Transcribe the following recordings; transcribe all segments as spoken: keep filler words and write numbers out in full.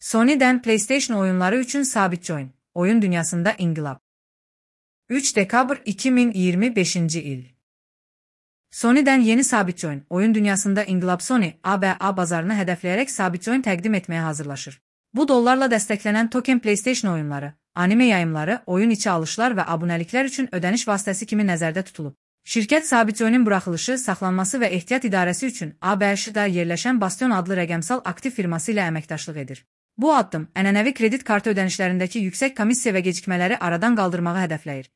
Sony'den PlayStation oyunları üçün sabit join. Oyun dünyasında inqilab. üç dekabr iki bin iyirmi beşinci il. Sony'den yeni sabit join. Oyun dünyasında inqilab. Sony, A B A bazarını hədəfləyərək sabit join təqdim etməyə hazırlaşır. Bu dollarla dəstəklənən token PlayStation oyunları, anime yayımları, oyun içi alışlar və abunəliklər üçün ödəniş vasitəsi kimi nəzərdə tutulub. Şirkət sabit joinin buraxılışı, saxlanması və ehtiyat idarəsi üçün A B Ş-da yerləşən Bastion adlı rəqəmsal aktiv firması ilə əməkdaşlıq edir. Bu addım, ənənəvi kredit kartı ödənişlərindəki yüksək komissiya və gecikmələri aradan qaldırmağı hədəfləyir.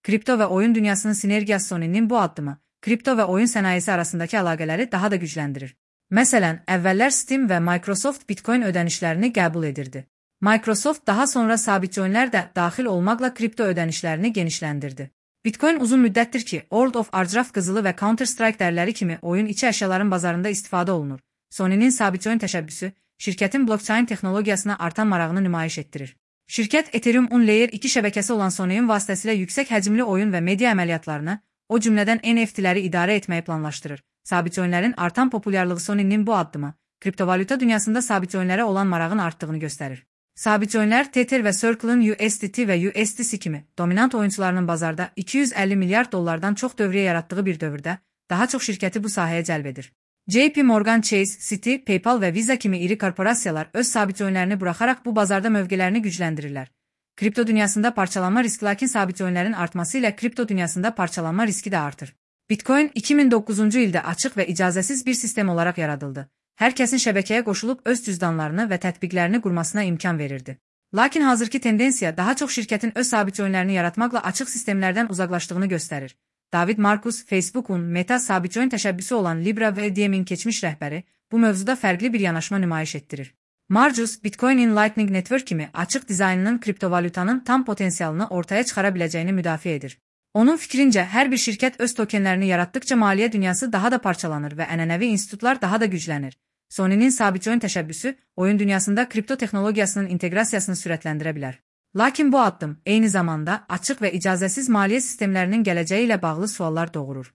Kripto və oyun dünyasının sinergiyası Sony'nin bu addımı, kripto və oyun sənayesi arasındakı əlaqələri daha da gücləndirir. Məsələn, əvvəllər Steam və Microsoft Bitcoin ödənişlərini qəbul edirdi. Microsoft daha sonra sabit joinlər də daxil olmaqla kripto ödənişlərini genişləndirdi. Bitcoin uzun müddətdir ki, World of Warcraft qızılı və Counter-Strike dərləri kimi oyun içi əşyaların bazarında istifadə olunur. Sony'nin sabit join təşəbbüsü, şirkətin blockchain texnologiyasına artan marağını nümayiş etdirir. Şirkət Ethereum Layer iki şəbəkəsi olan Sony'nin vasitəsilə yüksək həcmli oyun və media əməliyyatlarını, o cümlədən N F T'ləri idarə etməyi planlaşdırır. Sabit joinlərin artan populyarlığı Sony'nin bu addımı, kriptovalyuta dünyasında sabit joinlərə olan marağın artdığını göstərir. Sabit joinlər Tether və Circle'ın U S D T və U S D C kimi dominant oyunçularının bazarda iki yüz əlli milyard dollardan çox dövriyyə yaratdığı bir dövrdə daha çox şirkəti bu sahəyə cəlb edir. J P Morgan Chase, Citi, PayPal və Visa kimi iri korporasiyalar öz sabit joinlərini buraxaraq bu bazarda mövqelərini gücləndirirlər. Kripto dünyasında parçalanma riski lakin sabit joinlərin artması ilə kripto dünyasında parçalanma riski də artır. Bitcoin iki min doqquzuncu ildə açıq və icazəsiz bir sistem olaraq yaradıldı. Hər kəsin şəbəkəyə qoşulub öz cüzdanlarını və tətbiqlərini qurmasına imkan verirdi. Lakin hazırki tendensiya daha çox şirkətin öz sabit joinlərini yaratmaqla açıq sistemlərdən uzaqlaşdığını göstərir. David Marcus, Facebook'un Meta sabit join təşəbbüsü olan Libra və Diem'in keçmiş rəhbəri bu mövzuda fərqli bir yanaşma nümayiş etdirir. Marcus, Bitcoin'in Lightning Network kimi açıq dizaynının kriptovalyutanın tam potensialını ortaya çıxara biləcəyini müdafiə edir. Onun fikrincə, hər bir şirkət öz tokenlərini yaratdıkca maliyyə dünyası daha da parçalanır və ənənəvi institutlar daha da güclənir. Sony'nin sabit join təşəbbüsü, oyun dünyasında kripto texnologiyasının inteqrasiyasını sürətləndirə bilər. Lakin bu addım, eyni zamanda açıq və icazəsiz maliyyə sistemlərinin gələcəyi ilə bağlı suallar doğurur.